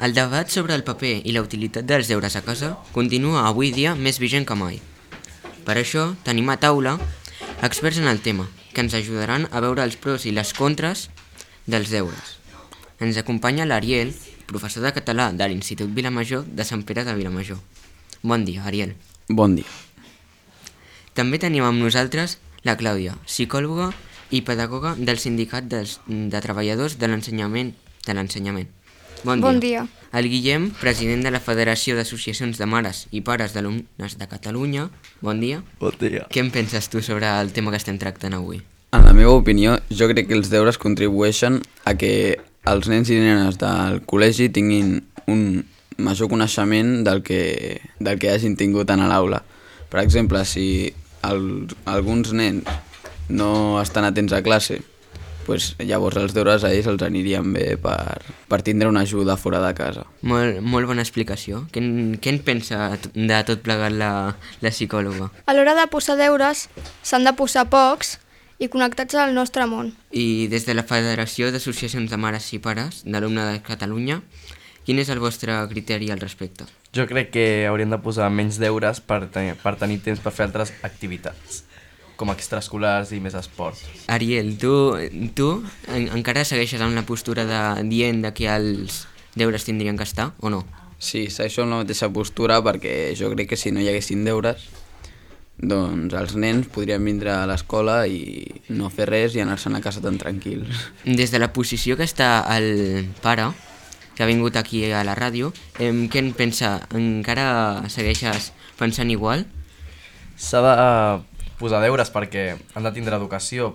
El debat sobre el paper i la utilitat dels deures a casa continua avui dia més vigent que mai. Per això tenim a taula experts en el tema, que ens ajudaran a veure els pros i les contres dels deures. Ens acompanya l'Ariel, professor de català de l'Institut Vilamajor de Sant Pere de Vilamajor. Bon dia, Ariel. Bon dia. També tenim amb nosaltres la Clàudia, psicòloga i pedagoga del Sindicat de Treballadors de l'Ensenyament. Bon dia. El Guillem, president de la Federació d'Associacions de Mares i Pares d'Alumnes de Catalunya. Bon dia. Bon dia. Què en penses tu sobre el tema que estem tractant avui? En la meva opinió, jo crec que els deures contribueixen a que els nens i nenes del col·legi tinguin un major coneixement del que hagin tingut a l'aula. Per exemple, si alguns nens no estan atents a classe, llavors els deures a ells els anirien bé per tindre una ajuda fora de casa. Molt bona explicació. Què en pensa de tot plegat la psicòloga? A l'hora de posar deures s'han de posar pocs i connectats al nostre món. I des de la Federació d'Associacions de Mares i Pares d'Alumnes de Catalunya, quin és el vostre criteri al respecte? Jo crec que hauríem de posar menys deures per tenir temps per fer altres activitats, com extraescolars i més esport. Ariel, tu encara segueixes amb la postura dient que els deures tindrien que estar, o no? Sí, segueixo amb la mateixa postura perquè jo crec que si no hi haguessin deures, doncs els nens podrien vindre a l'escola i no fer res i anar-se'n a casa tan tranquils. Des de la posició que està el pare, que ha vingut aquí a la ràdio, què en pensa? Encara segueixes pensant igual? S'ha de posar deures perquè han de tindre educació,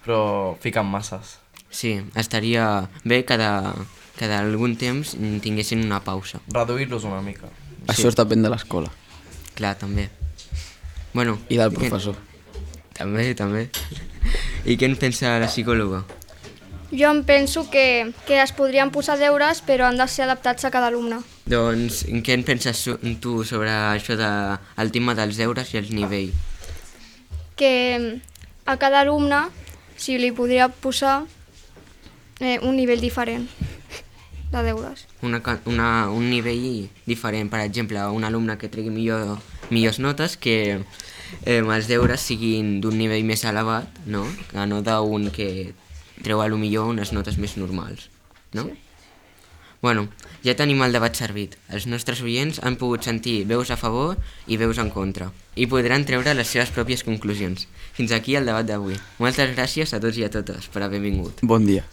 però fiquen masses. Sí, estaria bé que d'algun temps tinguessin una pausa. Reduir-los una mica. Això depèn de l'escola. Clar, també. Bueno, I del professor. També. I què en pensa la psicòloga? Jo em penso que es podrien posar deures però han de ser adaptats a cada alumne. Doncs què en penses tu sobre això del tema dels deures i els nivells? Que a cada alumne s'hi li podria posar un nivell diferent de deures. Un nivell diferent, per exemple, un alumne que tregui millors notes, que els deures siguin d'un nivell més elevat, no? Que no d'un que treu potser unes notes més normals, no? Sí. Bueno, ja tenim el debat servit. Els nostres oients han pogut sentir veus a favor i veus en contra i podran treure les seves pròpies conclusions. Fins aquí el debat d'avui. Moltes gràcies a tots i a totes per haver vingut. Bon dia.